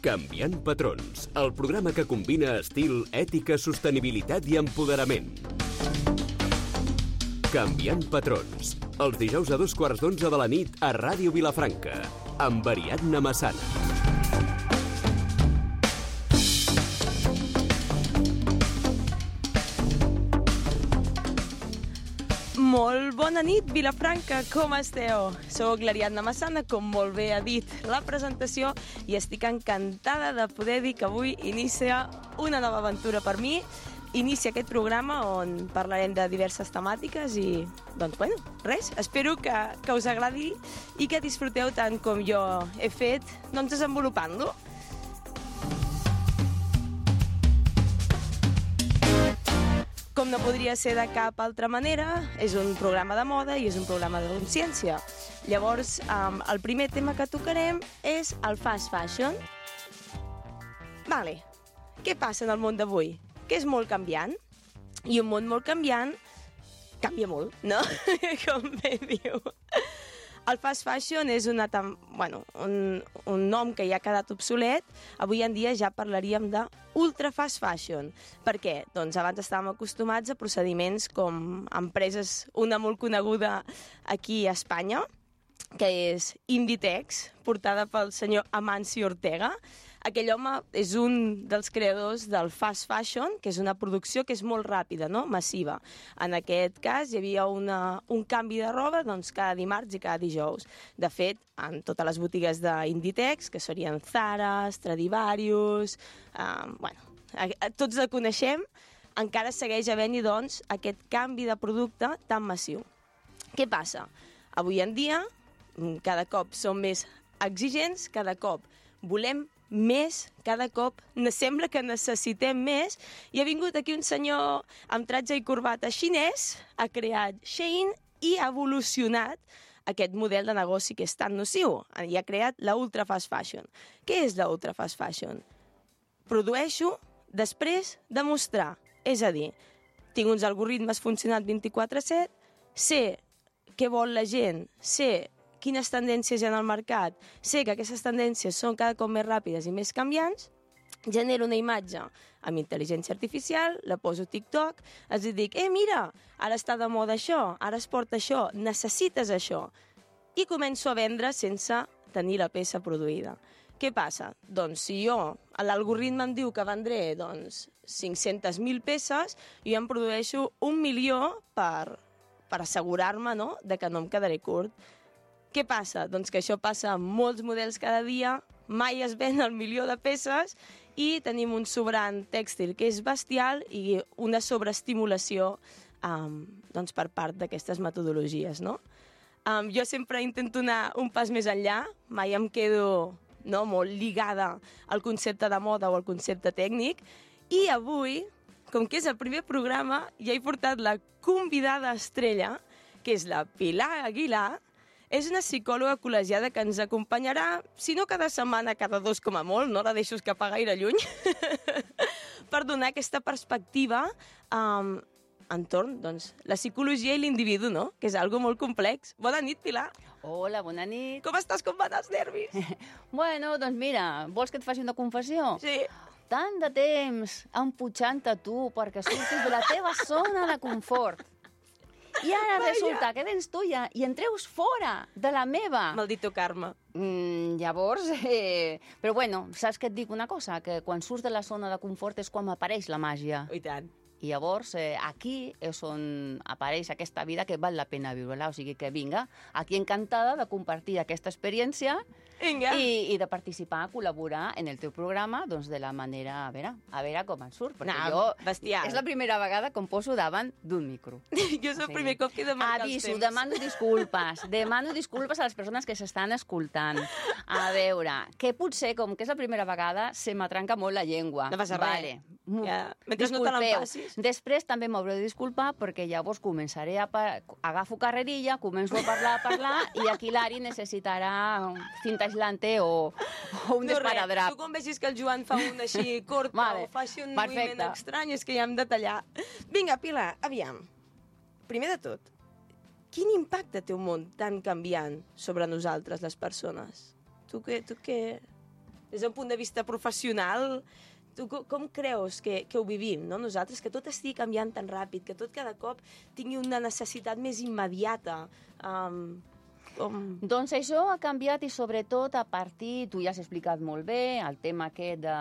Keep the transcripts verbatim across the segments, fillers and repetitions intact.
Canviant patrons, el programa que combina estil, ètica, sostenibilitat i empoderament. Canviant patrons, els dijous a dos quarts d'onze de la nit a Ràdio Vilafranca, amb Ariadna Massana. Molt bona nit, Vilafranca, com esteu? Soc l'Ariadna Massana, com molt bé ha dit la presentació, i estic encantada de poder dir que avui inicia una nova aventura per mi. Inicia aquest programa on parlarem de diverses temàtiques i, doncs, bueno, res, espero que, que us agradi i que disfruteu tant com jo he fet, doncs, desenvolupant-lo. Com no podria ser de cap altra manera, és un programa de moda i és un programa de consciència. Llavors, um, el primer tema que tocarem és el fast fashion. Vale, què passa en el món d'avui? Que és molt canviant, i un món molt canviant canvia molt, no? Com bé diu. El fast fashion és una tam... bueno, un, un nom que ja ha quedat obsolet. Avui en dia ja parlaríem de ultra fast fashion. Per què? Doncs abans estàvem acostumats a procediments com empreses, una molt coneguda aquí a Espanya, que és Inditex, portada pel senyor Amancio Ortega. Aquell home és un dels creadors del fast fashion, que és una producció que és molt ràpida, no? Massiva. En aquest cas hi havia una, un canvi de roba doncs, cada dimarts i cada dijous. De fet, en totes les botigues d'Inditex, que serien Zara, Stradivarius, eh, bueno, tots la coneixem, encara segueix havent-hi doncs, aquest canvi de producte tan massiu. Què passa? Avui en dia, cada cop som més exigents, cada cop volem més, cada cop sembla que necessitem més, i ha vingut aquí un senyor amb tratge i corbata xinès, ha creat Shein i ha evolucionat aquest model de negoci que és tan nociu, i ha creat la ultra fast fashion. Què és la ultra fast fashion? Produeixo després de mostrar, és a dir, tinc uns algoritmes funcionant vint-i-quatre set, sé què vol la gent, sé quines tendències hi ha al mercat, sé que aquestes tendències són cada cop més ràpides i més canviants, genero una imatge amb intel·ligència artificial, la poso a TikTok, els dic, eh, mira, ara està de moda això, ara es porta això, necessites això, i començo a vendre sense tenir la peça produïda. Què passa? Doncs si jo, l'algoritme em diu que vendré doncs, cinc-centes mil peces, jo em produeixo un milió per, per assegurar-me, no?, de que no em quedaré curt. Què passa? Doncs que això passa amb molts models cada dia, mai es ven el milió de peces i tenim un sobrant tèxtil que és bestial i una sobreestimulació um, doncs per part d'aquestes metodologies, no? Um, jo sempre intento anar un pas més enllà, mai em quedo no, molt lligada al concepte de moda o al concepte tècnic, i avui, com que és el primer programa, ja he portat la convidada estrella, que és la Pilar Aguilar. És una psicòloga col·legiada que ens acompanyarà, si no cada setmana, cada dos com a molt, no la deixo escapar gaire lluny, per donar aquesta perspectiva um, entorn, doncs, la psicologia i l'individu, no?, que és algo molt complex. Bona nit, Pilar. Hola, bona nit. Com estàs? Com van els nervis? Bueno, doncs mira, vols que et faci una confessió? Sí. Tant de temps emputxant-te tu perquè surtis de la teva zona de confort. I ara Vaya. Resulta que vens tu ja i en treus fora de la meva. Maldito karma. Mm, llavors, eh... però bueno, saps que et dic una cosa? Que quan surts de la zona de confort és quan apareix la màgia. I tant. I llavors, eh, aquí és on apareix aquesta vida que val la pena viure-la. O sigui que vinga, aquí encantada de compartir aquesta experiència i, i de participar, col·laborar en el teu programa doncs de la manera, a veure, a veure com et surt. Perquè no, jo, bestial. És la primera vegada que em poso davant d'un micro. Jo és el sí. primer cop que he de marcar Aviso, els temps. demano disculpes. Demano disculpes a les persones que s'estan escoltant. A veure, que potser, com que és la primera vegada, se m'atranca molt la llengua. No passa vale. res. Ja. Mentre no te l'empassis. Després també m'hauré de disculpar perquè llavors començaré a... Pa... agafo carrerilla, començo a parlar, a parlar i aquí l'Ari necessitarà cinta aislante o, o un no esparadrap. Tu quan vegis que el Joan fa un així cort vale. O faci un Perfecte. Moviment estrany és que ja hem de tallar. Vinga, Pilar, aviam. Primer de tot, quin impacte té un món tan canviant sobre nosaltres, les persones? Tu què... Tu què... des d'un punt de vista professional, tu com creus que, que ho vivim, no? Nosaltres, que tot estigui canviant tan ràpid, que tot cada cop tingui una necessitat més immediata. Um, com... Doncs això ha canviat i sobretot a partir, tu ja has explicat molt bé, el tema aquest de,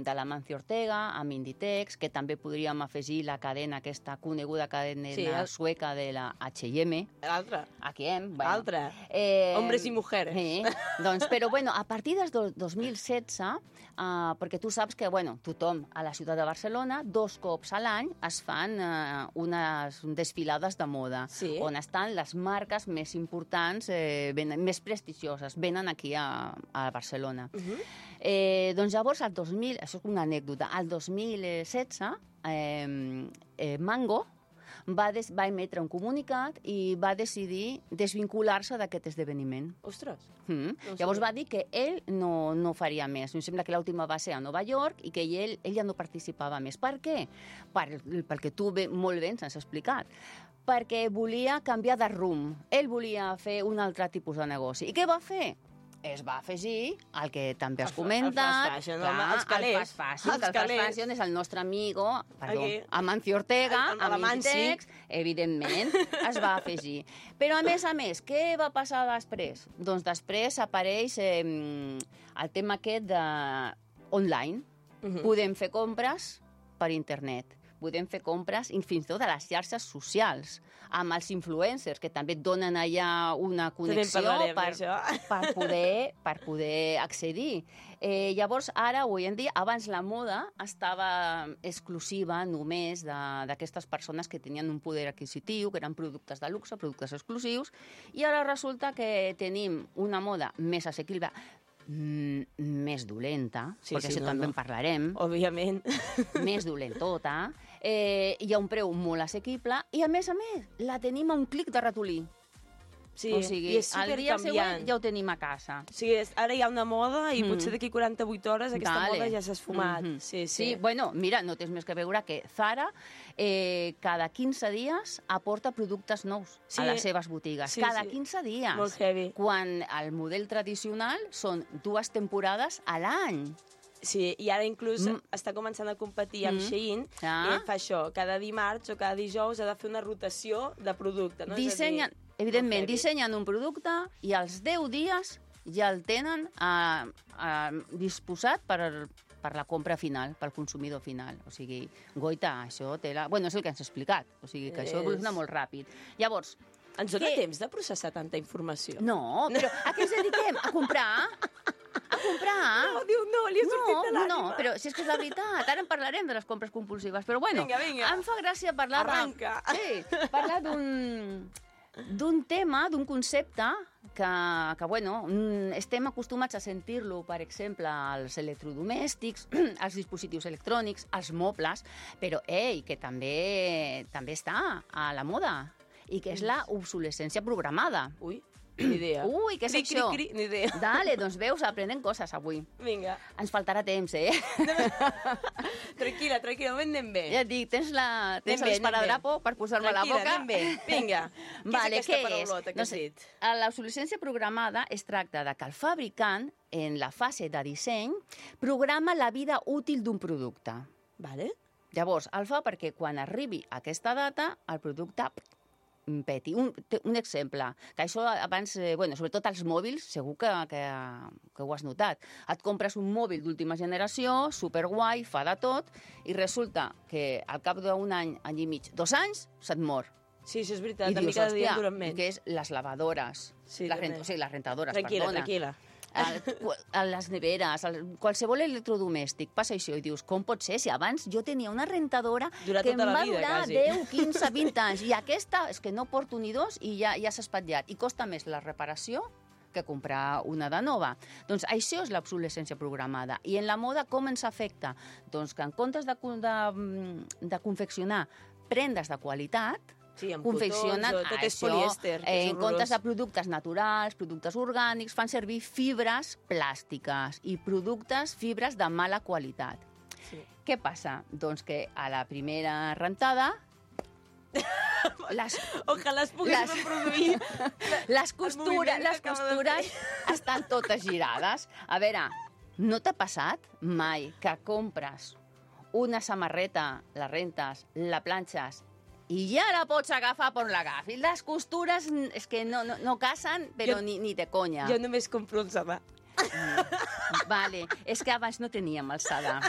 de l'Amancio Ortega, amb Inditex, que també podríem afegir la cadena, aquesta coneguda cadena sí, el... sueca de la H i M. L'altra. H i M. Bueno. L'altra. Eh, Hombres i mujeres. Eh, doncs, però bueno, a partir del do, dos mil setze, uh, perquè tu saps que, bueno, tothom a la ciutat de Barcelona, dos cops a l'any es fan uh, unes desfilades de moda, sí. on estan les marques més importants, eh, venen, més prestigioses, venen aquí a, a Barcelona. Uh-huh. eh, doncs llavors, el dos mil, això és una anècdota, el dos mil setze, eh, eh, Mango va, des, va emetre un comunicat i va decidir desvincular-se d'aquest esdeveniment. Ostres! Mm. No Llavors va dir que ell no, no faria més. Em sembla que l'última va ser a Nova York i que ell, ell ja no participava més. Per què? Per, perquè tu bé, molt bé ens has explicat. Perquè volia canviar de rumb. Ell volia fer un altre tipus de negoci. I què va fer? Es va afegir el que també has comentat. El fast fashion, clar, els calés. El fast fashion, el fast fashion és el nostre amigo, perdó, okay. Amancio Ortega, amb Inditex, evidentment, es va afegir. Però, a més a més, què va passar després? Doncs després apareix eh, el tema aquest de online. Uh-huh. Podem fer compres per internet. Podem fer compres fins i tot a les xarxes socials, amb els influencers, que també et donen allà una connexió per, per, poder, per poder accedir. Eh, llavors, ara, avui en dia, abans la moda estava exclusiva només d'aquestes persones que tenien un poder adquisitiu, que eren productes de luxe, productes exclusius, i ara resulta que tenim una moda més assequible, Mm, més dolenta, sí, perquè sí, això no, també no. en parlarem. Òbviament. Més dolentota. Eh, hi ha un preu molt assequible i, a més a més, la tenim a un clic de ratolí. Sí, o sigui, i és el dia següent ja ho tenim a casa. Sí, és, ara hi ha una moda i mm. potser d'aquí quaranta-vuit hores aquesta Dale. moda ja s'ha esfumat. Mm-hmm. sí, sí. sí, bueno, mira, no tens més que veure que Zara eh, cada quinze dies aporta productes nous sí. a les seves botigues. Sí, cada sí. quinze dies. Molt heavy. Quan el model tradicional són dues temporades a l'any. Sí, i ara inclús mm. està començant a competir amb mm. Shein ah. i fa això, cada dimarts o cada dijous ha de fer una rotació de producte. No? Dissenyen, dir, evidentment, dissenyen un producte i als deu dies ja el tenen uh, uh, disposat per, per la compra final, pel consumidor final. O sigui, goita, això té la... Bueno, és el que ens ha explicat, o sigui, que és... això evoluciona molt ràpid. Llavors... Ens dona que... temps de processar tanta informació? No, però a què ens dediquem? A comprar? A comprar? No, diu, no, li ha sortit no, de l'ànima. No, però si és que és la veritat, ara en parlarem de les compres compulsives, però bueno, vinga, vinga. Em fa gràcia parlar... Arranca. De... Sí, parlar d'un... d'un tema, d'un concepte que, que, bueno, estem acostumats a sentir-lo, per exemple, als electrodomèstics, als dispositius electrònics, als mobles, però, ei, que també, també està a la moda, i que és la obsolescència programada. Ui, ni idea. Ui, què és cri, això? Cri, cri, ni idea. Dale, doncs veus, aprenem coses avui. Vinga. Ens faltarà temps, eh? Tranquil·la, tranquil·la, anem bé. Ja et dic, tens la tens l'esparadrapo per posar-me a la boca? Anem bé, vinga. Vale, què és aquesta paraulota que has dit? L'obsolescència programada es tracta de que el fabricant, en la fase de disseny, programa la vida útil d'un producte. Vale. Llavors, el fa perquè quan arribi aquesta data, el producte peti. Un, un exemple, que això abans, eh, bueno, sobretot als mòbils, segur que, que, que ho has notat. Et compres un mòbil d'última generació, superguai, fa de tot, i resulta que al cap d'un any, any i mig, dos anys, se't mor. Sí, això és veritat, I a mi cada dia duren menys. Que és les lavadores, sí, les, rent, o sigui, les rentadores, tranquil·la, perdona. Tranquil·la, a les neveres, a qualsevol electrodomèstic, passa això i dius, com pot ser? Si abans jo tenia una rentadora Durà que em tota va vida, durar quasi. deu, quinze, vint anys, i aquesta és que no porto ni dos i ja, ja s'ha espatllat, i costa més la reparació que comprar una de nova. Doncs això és l'obsolescència programada. I en la moda com ens afecta? Doncs que en comptes de, de, de confeccionar prendes de qualitat, sí, amb confeccionen cotons, tot és això, polièster, eh, en comptes de productes naturals, productes orgànics, fan servir fibres plàstiques i productes, fibres de mala qualitat. Sí. Què passa? Doncs que a la primera rentada les, ojalà es pogués les, reproduir les costures, les costures estan totes girades. A veure, no t'ha passat mai que compres una samarreta, la rentes, la planxes, i ja la pots agafar per l'agafi? Les costures és que no, no, no casen, però jo, ni, ni de conya. Jo només compro alçada. Mm, vale, és que abans no teníem alçada.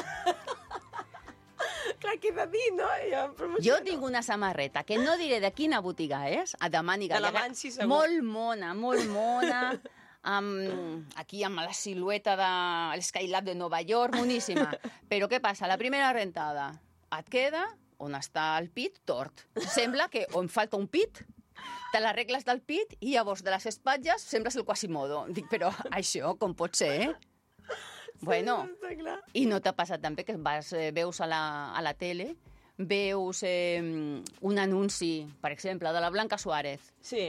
Clar, què he de dir, no? Jo, jo tinc una samarreta, que no diré de quina botiga és, a Damani Gallega. De la Mansi, segur. Molt mona, molt mona. Um, aquí amb la silueta de l'Skylab de Nova York, moníssima. Però què passa? La primera rentada et queda on està el pit tort. Sembla que on falta un pit, te l'arregles del pit i llavors de les espatlles sembles el Quasimodo. Dic, però això com pot ser, eh? Sí, bueno, i no t'ha passat també que vas, eh, veus a la, a la tele, veus eh, un anunci, per exemple, de la Blanca Suárez. Sí.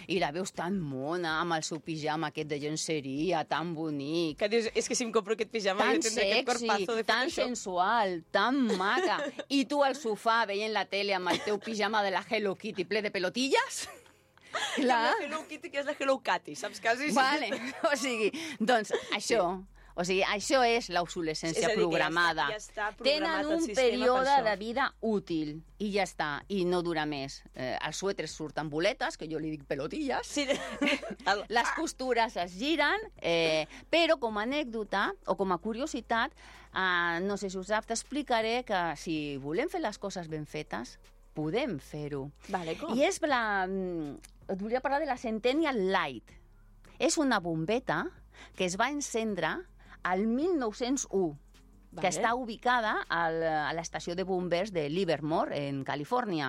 I la veus tan mona, amb el seu pijama aquest de llenceria, tan bonic. Que dius, és que si em compro aquest pijama tan jo tindré sexy, aquest corpazo de tan Photoshop. sensual, tan maca. I tu al sofà veient la tele amb el teu pijama de la Hello Kitty ple de pelotilles? Clar. La Hello Kitty, que és la Hello Catty, saps quasi? Vale, o sigui, doncs això... Sí. O sigui, això és l'obsolescència programada. Ja està, ja està Tenen un període de vida útil i ja està, i no dura més. Eh, els suèters surten boletes, que jo li dic pelotilles. Sí. Les costures es giren, eh, però com a anècdota o com a curiositat, eh, no sé si us sap, t'explicaré que si volem fer les coses ben fetes, podem fer-ho. Vale, com? I és la... Et volia parlar de la Centennial Light. És una bombeta que es va encendre al mil nou-cents u, vale. Que està ubicada al, a l'estació de bombers de Livermore, en Califòrnia.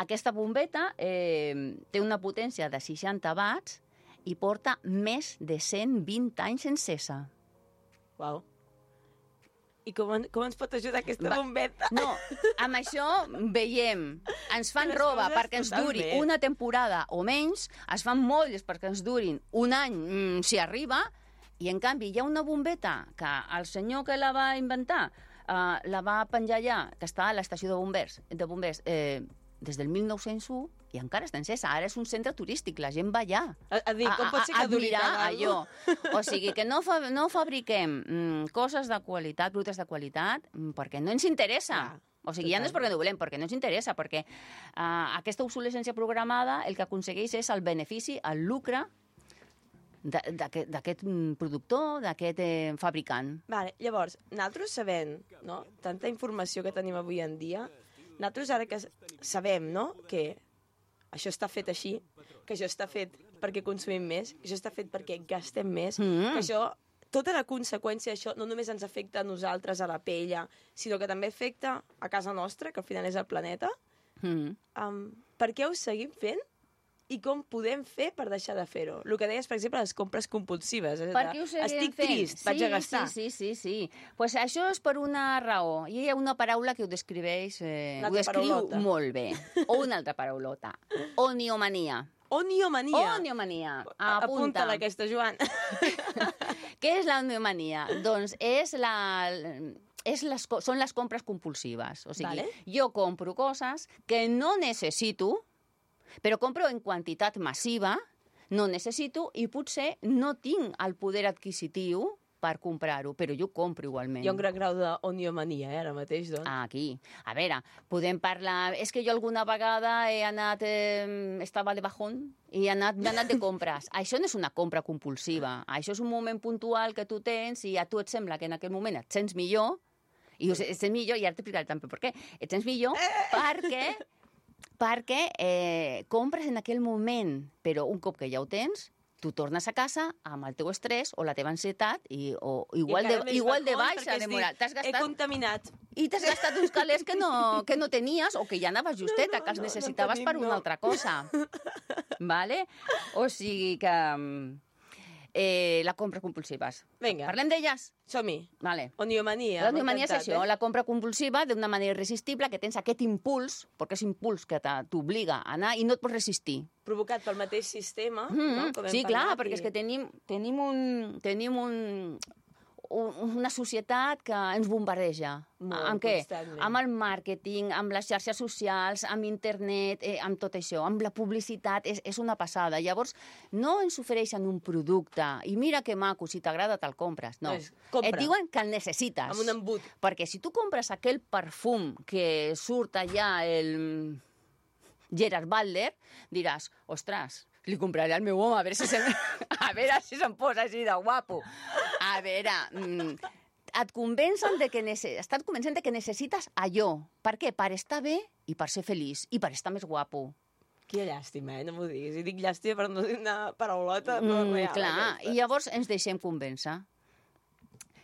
Aquesta bombeta eh, té una potència de seixanta watts i porta més de cent vint anys encesa. Uau. I com, com ens pot ajudar aquesta bombeta? No, amb això veiem, ens fan roba perquè ens duri totalment. Una temporada o menys, es fan molles perquè ens durin un any, mm, si arriba, i en canvi hi ha una bombeta que el senyor que la va inventar uh, la va penjar allà, que està a l'estació de bombers, de bombers eh, des del mil nou-cents u i encara està encesa. Ara és un centre turístic, la gent va allà a, a, dir, com pot ser que duri tant allò. O sigui, que no, fa, no fabriquem mm, coses de qualitat, productes de qualitat, mm, perquè no ens interessa. Ah. O sigui, ja no és perquè no volem, perquè no ens interessa, perquè uh, aquesta obsolescència programada el que aconsegueix és el benefici, el lucre d'aquest productor, d'aquest eh, fabricant. Vale, llavors, nosaltres sabem, no?, tanta informació que tenim avui en dia, nosaltres ara que sabem, no?, que això està fet així, que això està fet perquè consumim més, que això està fet perquè gastem més, mm. que això, tota la conseqüència d'això no només ens afecta a nosaltres, a la pell, sinó que també afecta a casa nostra, que al final és el planeta. Mm. Um, per què ho seguim fent? I com podem fer per deixar de fer-ho? El que deies, per exemple, les compres compulsives. Per què ho seguim Estic fent? trist, vaig sí, a gastar. Sí, sí, sí, sí. Pues això és per una raó. I hi ha una paraula que ho descriveix, eh, ho descriu paraulota. Molt bé. O una altra paraulota. Oniomania. Oniomania. Oniomania. Apunta. Apunta-la aquesta, Joan. Què és la oniomania? Doncs és la... És les, són les compres compulsives. O sigui, vale. Jo compro coses que no necessito, però compro en quantitat massiva, no necessito i potser no tinc el poder adquisitiu per comprar-ho, però jo ho compro igualment. Hi ha un gran grau d'oniomania, eh, ara mateix, doncs. Ah, aquí. A veure, podem parlar... És que jo alguna vegada he anat... Eh, estava de bajón i he anat, he anat de compres. Això no és una compra compulsiva. Això és un moment puntual que tu tens i a tu et sembla que en aquell moment et sents millor, i et sents millor, i ara t'explicaré també per què. Et sents millor perquè... perquè eh, compres en aquell moment, però un cop que ja ho tens, tu tornes a casa amb el teu estrès o la teva ansietat i o igual, I de, igual de baixa de moral. Gastat, he contaminat. I t'has gastat uns calés que no, que no tenies o que ja anaves justeta, no, no, que els necessitaves no, no tenim, per una no. altra cosa. Vale? O sigui que... Eh, la compra compulsives. Vinga. Parlem d'elles? Som-hi. Vale. Oniomania. L'oniomania és això, eh? La compra compulsiva d'una manera irresistible, que tens aquest impuls, perquè és impuls que t'obliga a anar i no et pots resistir. Provocat pel mateix sistema, mm-hmm. no? Com hem sí, clar, parlat, perquè i... és que tenim, tenim un... Tenim un una societat que ens bombardeja. Molt, amb què? constantment. Amb el màrqueting, amb les xarxes socials, amb internet, eh, amb tot això, amb la publicitat, és, és una passada. Llavors, no ens ofereixen un producte i mira que maco, si t'agrada te'l compres. No, Pues, compra. et diuen que el necessites. Amb un embut. Perquè si tu compres aquell perfum que surt allà el Gerard Butler, diràs, ostres, li compraré al meu home, a veure si se'm, a veure si se'm posa així de guapo. A veure, mm, et convencen de que nece... estan convencent de que necessites allò. Per què? Per estar bé i per ser feliç i per estar més guapo. Quina llàstima, eh? No m'ho diguis. I dic llàstima per no dir una paraulota, però Mm, real. clar, aquesta. i llavors ens deixem convèncer.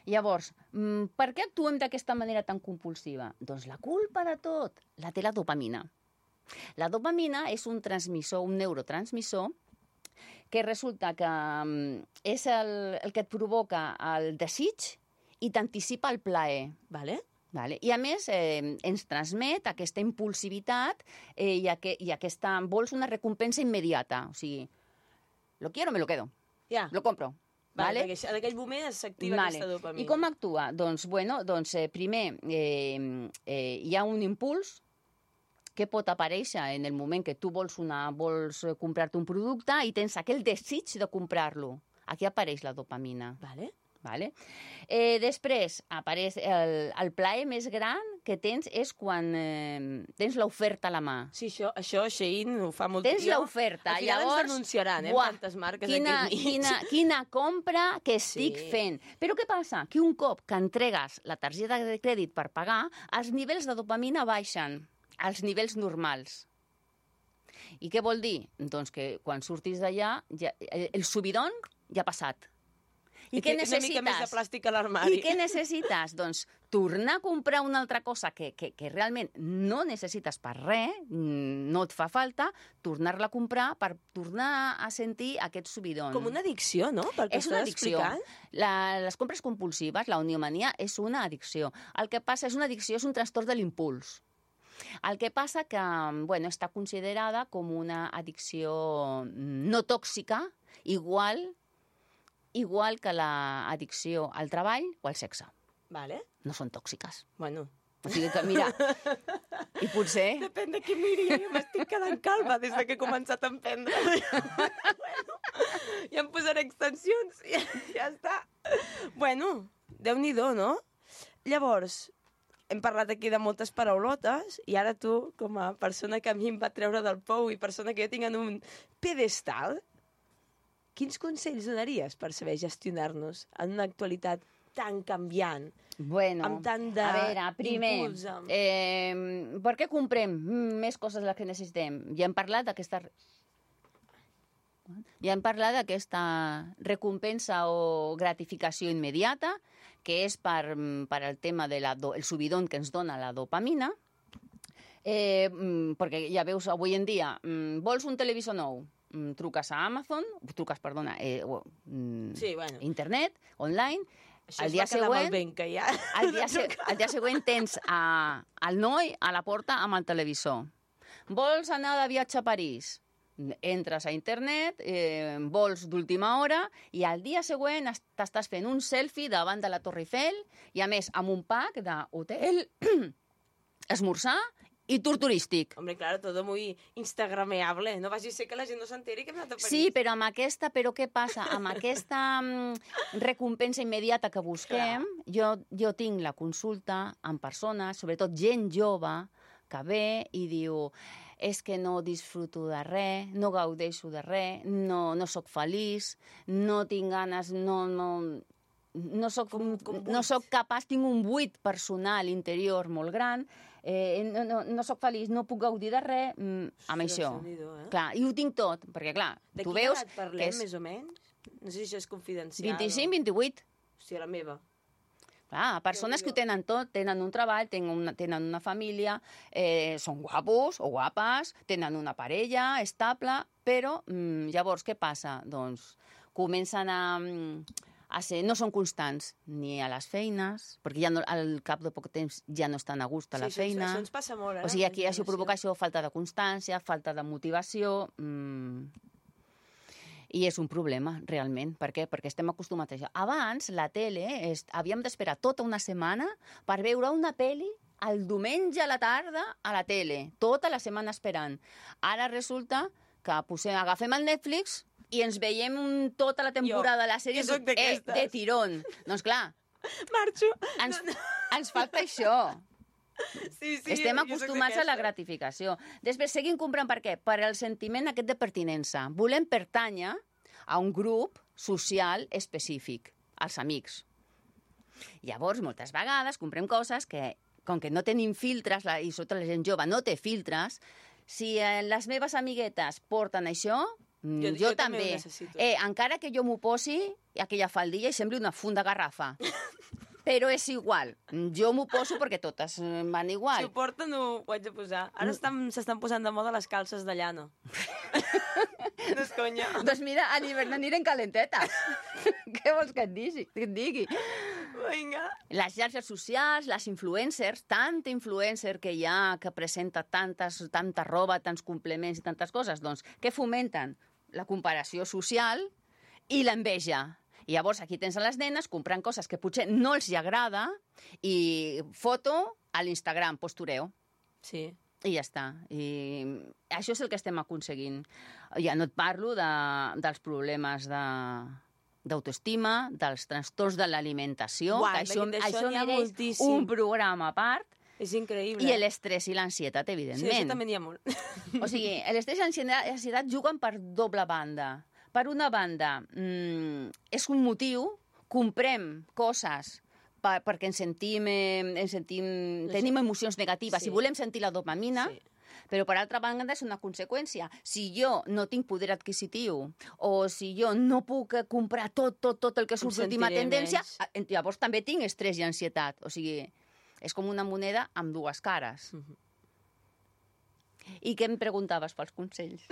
Llavors, mm, per què actuem d'aquesta manera tan compulsiva? Doncs la culpa de tot la té la dopamina. La dopamina és un transmissor, un neurotransmissor, que resulta que mm, és el, el que et provoca el desig i t'anticipa el plaer. Vale? Vale? I a més eh, ens transmet aquesta impulsivitat eh, i, aqu i aquesta... Vols una recompensa immediata. O sigui, lo quiero, me lo quedo. Ja. Lo compro. Vale? Vale? En aquell moment s'activa Vale. aquesta dopamina. I com actua? Doncs, bueno, doncs eh, primer eh, eh, hi ha un impuls que pot aparèixer en el moment que tu vols, una, vols comprar-te un producte i tens aquell desig de comprar-lo. Aquí apareix la dopamina. Vale? Vale? Eh, després apareix el, el plaer més gran que tens és quan eh, tens l'oferta a la mà. Sí, això, això Shein ho fa molt... Tens Jo- l'oferta, Al final llavors... ens denunciaran, eh, buah, amb tantes marques quina, aquí al mig. quina, quina compra que estic Sí. fent. Però què passa? Que un cop que entregues la targeta de crèdit per pagar, els nivells de dopamina baixen als nivells normals. I què vol dir? Doncs que quan surtis d'allà, ja, el, el subidon ja ha passat. I, I què té necessites? una mica més de plàstic a l'armari. I què necessites? Doncs tornar a comprar una altra cosa que, que, que realment no necessites per res, mm, no et fa falta, tornar-la a comprar per tornar a sentir aquest subidon. Com una addicció, no? Perquè És una estàs addicció. explicant. La, les compres compulsives, la oniomania, és una addicció. El que passa és una addicció, és un trastorn de l'impuls. El que passa que bueno, està considerada com una addicció no tòxica, igual, igual que l'addicció al treball o al sexe. Vale? No són tòxiques. Bueno, O sigui que, mira, i potser... depèn de qui miri, jo m'estic quedant calma des de que he començat a emprendre. Bueno, ja em posaré extensions, ja, ja està. Bueno, Déu-n'hi-do, no? Llavors, hem parlat aquí de moltes paraulotes i ara tu, com a persona que a mi em va treure del pou i persona que jo tinc en un pedestal, quins consells donaries per saber gestionar-nos en una actualitat tan canviant? Bueno, amb tant de a veure, primer, impuls, amb- eh, per què comprem més coses de les que necessitem? Ja hem parlat d'aquesta... Ja hem parlat d'aquesta recompensa o gratificació immediata, que és per, per el tema del el subidon que ens dona la dopamina, eh, perquè ja veus, avui en dia, vols un televisor nou? Truques a Amazon, truques, perdona, eh, Sí, bueno. internet, online. Això El es dia va quedar següent, molt ben, que ja... el dia, se, el dia següent tens a, el noi a la porta amb el televisor. Vols anar de viatge a París? Entres a internet, eh, vols d'última hora, i al dia següent es- t'estàs fent un selfie davant de la Torre Eiffel, i a més amb un pack d'hotel, esmorzar i tour turístic. Hombre, claro, todo muy instagrameable. No vagi a ser que la gent no s'enteri que hem anat a París. Sí, però amb aquesta, però què passa? Amb aquesta mm, recompensa immediata que busquem, jo, jo tinc la consulta amb persones, sobretot gent jove, que ve i diu és que no disfruto de res, no gaudeixo de res, no, no sóc feliç, no tinc ganes, no... no no soc, Com- com buit. no soc capaç, tinc un buit personal interior molt gran, eh, no, no, no soc feliç, no puc gaudir de res, mm, amb Ostres, això. Déu-n'hi-do, eh? Clar, i ho tinc tot, perquè clar, De tu quina veus edat parlem, que és més o menys? No sé si això és confidencial. vint-i-cinc, vint-i-vuit. O... Hòstia, la meva. Clar, persones que ho tenen tot, tenen un treball, tenen una, tenen una família, eh, són guapos o guapes, tenen una parella estable, però mm, llavors què passa? Doncs comencen a, a ser, no són constants ni a les feines, perquè ja no, al cap de poc temps ja no estan a gust a la sí, feina. Això ens passa molt, eh? O sigui, aquí això generació. provoca això, falta de constància, falta de motivació... Mm. I és un problema, realment. Per què? Perquè estem acostumats a això. Abans, la tele, és, havíem d'esperar tota una setmana per veure una pel·li el diumenge a la tarda a la tele. Tota la setmana esperant. Ara resulta que posem, agafem el Netflix i ens veiem un, tota la temporada de la sèrie eh, de tirón. Doncs clar, marxo. Ens, ens falta això. Sí, sí, Estem acostumats a la gratificació. Després seguim comprant per què? Per el sentiment aquest de pertinença. Volem pertànyer a un grup social específic, als amics. Llavors, moltes vegades comprem coses que, com que no tenim filtres, la, i sobretot la gent jove no té filtres, si eh, les meves amiguetes porten això, jo, jo, jo també. també eh, encara que jo m'ho posi, aquella faldilla, i sembli una funda garrafa. Però és igual. Jo m'ho poso perquè totes van igual. Si ho porten, ho haig de posar. Ara s'estan posant de moda les calces de llana. No és conya. Doncs mira, a l'hivern anirem calentetes. Què vols que et digui? Que et digui? Vinga. Les xarxes socials, les influencers, tanta influencer que hi ha, que presenta tantes, tanta roba, tants complements i tantes coses, doncs, què fomenten? La comparació social i l'enveja. I llavors aquí tens a les nenes comprant coses que potser no els hi agrada i foto a l'Instagram, postureo. Sí. I ja està. I això és el que estem aconseguint. Ja no et parlo de, dels problemes de d'autoestima, dels trastorns de l'alimentació, que això, això mereix un programa a part. És increïble. I l'estrès i l'ansietat, evidentment. Sí, això també n'hi ha molt. O sigui, l'estrès i l'ansietat juguen per doble banda. Per una banda, mmm, és un motiu, comprem coses per, perquè ens sentim, eh, ens sentim tenim emocions negatives sí. i volem sentir la dopamina, sí. Però per altra banda és una conseqüència. Si jo no tinc poder adquisitiu o si jo no puc comprar tot, tot, tot el que surt l'última tendència, menys. Llavors també tinc estrès i ansietat. O sigui, és com una moneda amb dues cares. Uh-huh. I què em preguntaves pels consells?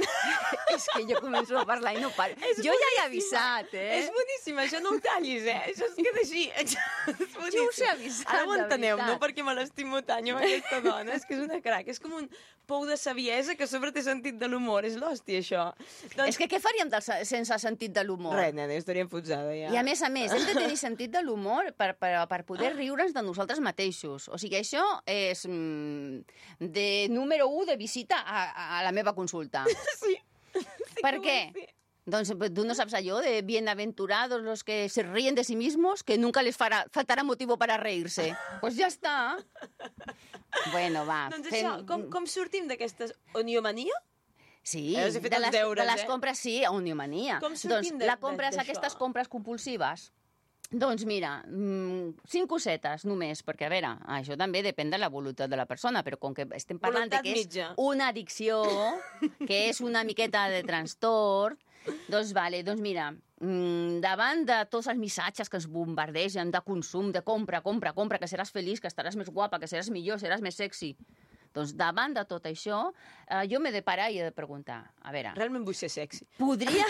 És que jo començo a parlar i no paro. És jo boníssima. Ja he avisat, eh? És boníssim, això no ho tallis, eh? Això es queda així. Jo us he avisat, ara ho enteneu, no? Perquè me l'estimo tant jo amb aquesta dona. És que és una crac. És com un pou de saviesa que a sobre té sentit de l'humor. És l'hòstia, això. Doncs... És que què faríem del, sense sentit de l'humor? Res, nena, estaríem fotzada, ja. I a més a més, hem de tenir sentit de l'humor per, per, per poder riure'ns de nosaltres mateixos. O sigui, això és mm, de número u de visita A, a la meva consulta. Sí. sí ¿Por qué? Sí. Doncs tú no sabes yo de bienaventurados los que se ríen de sí mismos, que nunca les farà, faltarà motivo para reírse. Pues ja està. Bueno, va. Doncs fem... això, com, com sortim d'aquesta oniomania? Sí, de les, deures, de les compres, eh? Sí, oniomania. Com sortim doncs, la compres, aquestes compres compulsives. Doncs mira, cinc cosetes només, perquè a veure, això també depèn de la voluntat de la persona, però com que estem parlant voluntat de que és mitja. Una addicció, que és una miqueta de trastorn, doncs vale, doncs mira, davant de tots els missatges que ens bombardegen de consum, de compra, compra, compra, que seràs feliç, que estaràs més guapa, que seràs millor, seràs més sexy, doncs davant de tot això, eh, jo m'he de parar i he de preguntar, a veure... Realment vull ser sexy. Podria...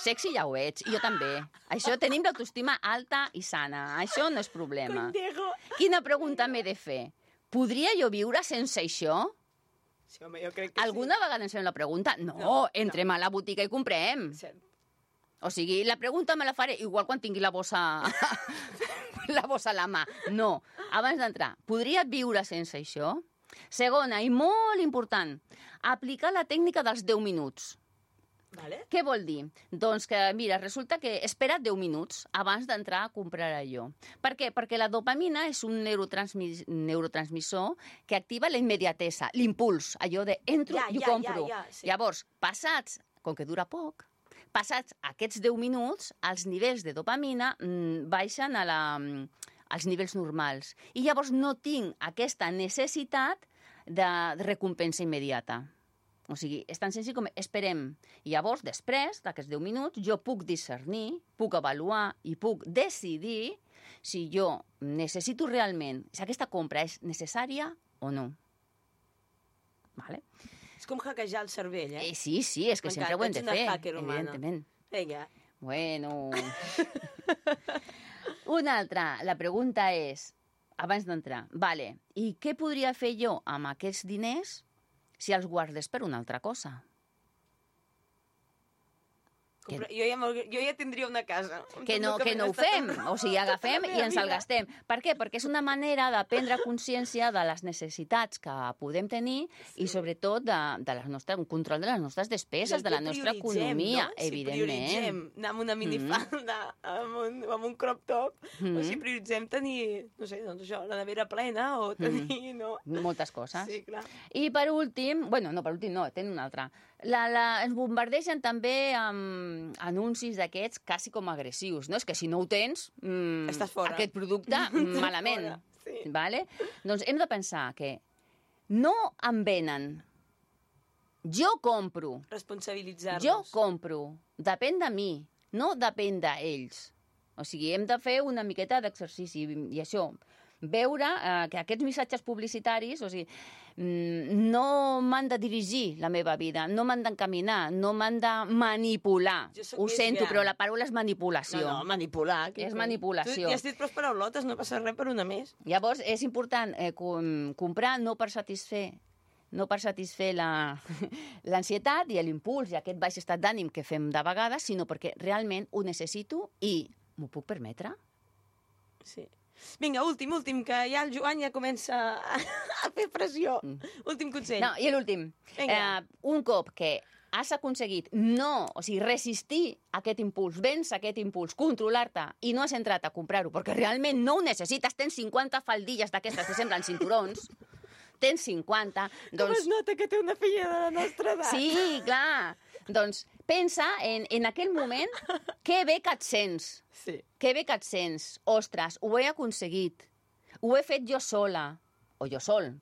Sexy ja ho ets, i jo també. Això tenim l'autoestima alta i sana, això no és problema. Contigo. Quina pregunta m'he de fer? Podria jo viure sense això? Sí, home, jo crec que Alguna sí. vegada ens fem la pregunta? No, no entrem no. a la botiga i comprem. Cert. O sigui, la pregunta me la faré igual quan tingui la bossa, la bossa a la mà. No, abans d'entrar, podria viure sense això? Segona, i molt important, aplicar la tècnica dels deu minuts. Vale. Què vol dir? Doncs que, mira, resulta que espera deu minuts abans d'entrar a comprar allò. Per què? Perquè la dopamina és un neurotransmis... neurotransmissor que activa la immediatesa, l'impuls, allò de entro ja, i ho ja, compro. Ja, ja, sí. Llavors, passats, com que dura poc, passats aquests deu minuts, els nivells de dopamina mmm, baixen a la... als nivells normals. I llavors no tinc aquesta necessitat de recompensa immediata. O sigui, és tan senzill com esperem. I llavors, després d'aquests deu minuts, jo puc discernir, puc avaluar i puc decidir si jo necessito realment, si aquesta compra és necessària o no. Vale? És com hackejar el cervell, eh? eh sí, sí, és que sempre ho hem de fer, evidentment. Vinga. Bueno... Una altra, la pregunta és, abans d'entrar, vale, i què podria fer jo amb aquests diners si els guardés per una altra cosa? Que... Jo, ja, jo ja tindria una casa. Que no, que no ho fem, o sigui, agafem i ens el gastem. Per què? Perquè és una manera de prendre consciència de les necessitats que podem tenir sí. i sobretot de, de la nostra, un control de les nostres despeses, de la nostra economia, no? evidentment. Si prioritzem anar amb una minifalda, mm. amb, un, amb un crop top, mm. o si prioritzem tenir, no sé, doncs això, la nevera plena o tenir... Mm. No? Moltes coses. Sí, clar. I per últim, bueno, no, per últim no, tenen una altra. La, la, ens bombardegen també amb anuncis d'aquests quasi com agressius, no? És que si no ho tens, mmm, estàs fora. Aquest producte, malament. Sí. Vale? Doncs hem de pensar que no em venen, jo compro. Responsabilitzar-nos. Jo compro. Depèn de mi, no depèn d'ells. O sigui, hem de fer una miqueta d'exercici i això... veure eh, que aquests missatges publicitaris, o sigui, no m'han de dirigir la meva vida, no m'han d'encaminar, no m'han de manipular. Ho sento, gran. Però la paraula és manipulació. No, no, manipular. És manipulació. Tu ja has dit prou paraulotes, no passa res per una més. Llavors, és important eh, com, comprar no per satisfer no per satisfer l'ansietat i l'impuls i aquest baix estat d'ànim que fem de vegades, sinó perquè realment ho necessito i m'ho puc permetre. Sí. Vinga, últim, últim, que ja el Joan ja comença a, a fer pressió. Mm. Últim consell. No, i l'últim. Eh, un cop que has aconseguit no, o sigui, resistir aquest impuls, vèncer aquest impuls, controlar-te i no has entrat a comprar-ho perquè realment no ho necessites, tens cinquanta faldilles d'aquestes que semblen cinturons, tens cinquanta... Doncs... Com es nota que té una filla de la nostra edat? Sí, clar. Doncs pensa en, en aquell moment que bé que et sents. Sí. Que bé que et sents. Ostres, ho he aconseguit. Ho he fet jo sola. O jo sol.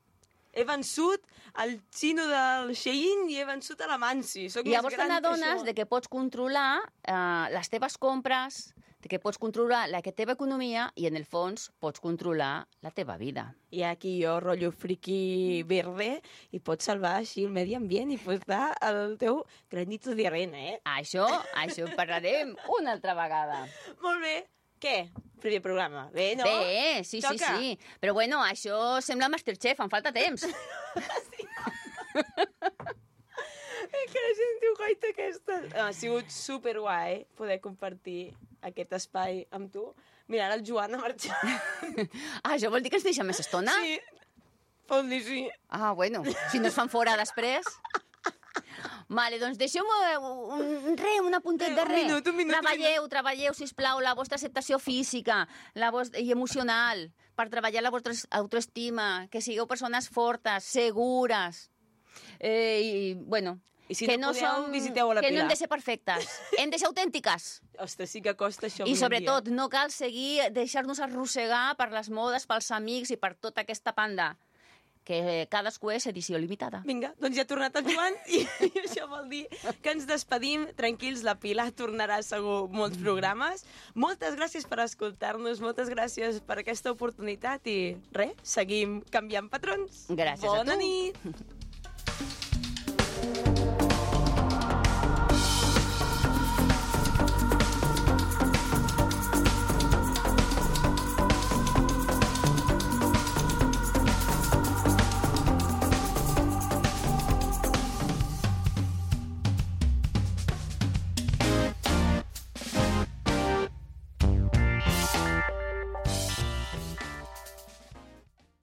He vençut el xino del Shein i he vençut a la Mansi. Soc I llavors més gran te n'adones que de que pots controlar eh, les teves compres, de que pots controlar la teva economia i, en el fons, pots controlar la teva vida. I aquí jo, rotllo friki verde, i pots salvar així el medi ambient i pots dar el teu granito de arena, eh? Això, això en parlarem una altra vegada. Molt bé. Què? Primer programa. Bé, no? Bé, sí, Toca. sí, sí. Però bueno, això sembla Masterchef, em falta temps. Sí. És que la gent diu, goita, aquesta... Ha sigut superguai poder compartir aquest espai amb tu. Mira, ara el Joan ha marxat. Ah, això vol dir que ens deixa més estona? Sí, pot dir sí. Ah, bueno, si no es fan fora després... Vale, doncs deixeu-me un, re, un apuntet de res. Un minut, un minut. Treballeu, treballeu, sisplau, la vostra acceptació física la vostra, i emocional, per treballar la vostra autoestima, que sigueu persones fortes, segures. Eh, I, bueno, I si que no, no podeu, som, visiteu a la que Pilar. no hem de ser perfectes, hem de ser autèntiques. Ostres, sí que costa això. I sobretot, no cal seguir, deixar-nos arrossegar per les modes, pels amics i per tota aquesta panda, que cadascú és edició limitada. Vinga, doncs ja ha tornat el Joan i, i això vol dir que ens despedim. Tranquils, la Pilar tornarà segur molts programes. Moltes gràcies per escoltar-nos, moltes gràcies per aquesta oportunitat i res, seguim canviant patrons. Gràcies Bona a tu. nit.